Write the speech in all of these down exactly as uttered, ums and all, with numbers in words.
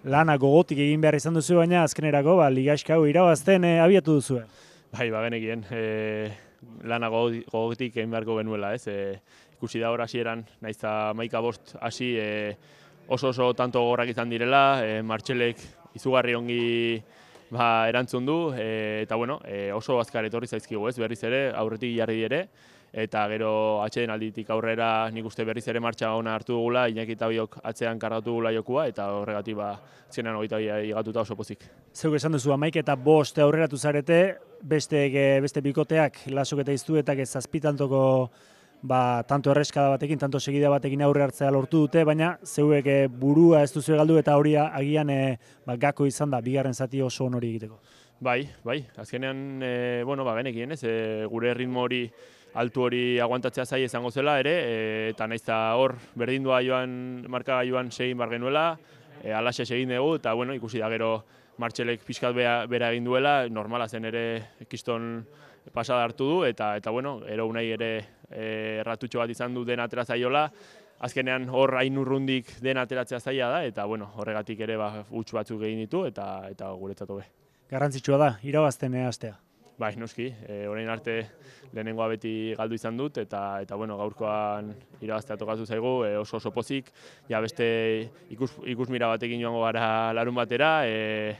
lana gogotik egin behar izan duzu, baina azkenerako ba, ligaxka hau irabazten e, abiatu duzu. Bai, ba, genekien, e, lana gogotik egin beharko genuela, ez? E, ikusi da hor hasieran, naiz eta hamaika bost hasi e, oso oso tanto gogorrak izan direla, e, Martxelek izugarri ongi ba, erantzun du, e, eta bueno, e, oso azkar etorri zaizkigu, ez? Berriz ere, aurretik jarri ere, eta gero atxeden alditik aurrera nik uste berriz ere martxa ona hartu dugula, Iñaki eta biok atzean kargatu dugula jokua, eta horregatik ba, azkenean hogeita bi igatuta oso pozik. Zeuk esan duzu, hamaika eta bost aurreratu zarete, beste, beste bikoteak, lasok eta iztuetak ez zazpitantoko ba, tanto erreskada batekin, tanto segida batekin aurre hartzea lortu dute, baina zeuek e, burua ez duzu galdu eta hori agian e, ba, gako izan da, bigarren zati oso onori egiteko. Bai, bai, azkenean, e, bueno, ba, genekien ez, e, gure ritmo hori altu hori aguantatzea zai izango zela ere, e, eta naiz eta hor berdindua joan, marka joan segin bar genuela, e, alaxe segin dugu, eta bueno, ikusi da gero Martxelek pixkat bera egin duela, normala zen ere kiston pasada hartu du, eta eta bueno, ero unai ere e, erratutxo bat izan du den atera zaiola, azkenean hor hain urrundik den ateratzea zaila da, eta bueno, horregatik ere ba, huts batzuk egin ditu, eta eta guretzat hobe. Garrantzitsua da, irabazten hastea. Bai, noski, e, orain arte lehenengoa beti galdu izan dut, eta eta bueno, gaurkoan irabaztea tokatu zaigu, e, oso oso pozik, ja beste ikus, ikusmira batekin joango gara larun batera, e,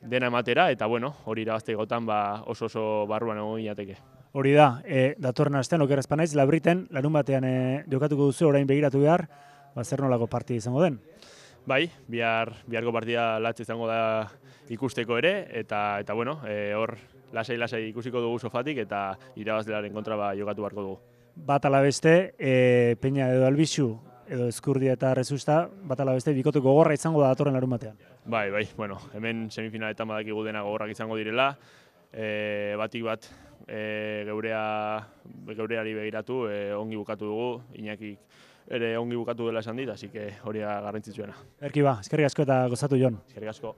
dena ematera, eta bueno, hori irabaztegotan ba, oso oso barruan egon ginateke. Hori da, e, datorren astean oker espanaiz, Labriten, larun batean e, jokatuko duzu, orain begiratu behar, ba, zer nolako partida izango den? Bai, bihar, biharko partida latz izango da ikusteko ere, eta eta bueno, e, hor lasai-lasai ikusiko dugu sofatik, eta irabazlearen kontra ba, jokatu beharko dugu. Bat ala beste, e, Peña edo Albizu, edo Ezkurdia eta Rezusta, bat ala beste, bikote gogorra izango da datorren larun batean. Bai, bai, bueno, hemen semifinaletan badakigu dena gogorrak izango direla, e, batik bat e, geurea, geureari begiratu, e, ongi bukatu dugu, Iñakik ere ongi bukatu dela esan dit, así que hori garrantzitsuena. Erki ba, eskerrik asko eta gozatu Jon. Eskerrik asko.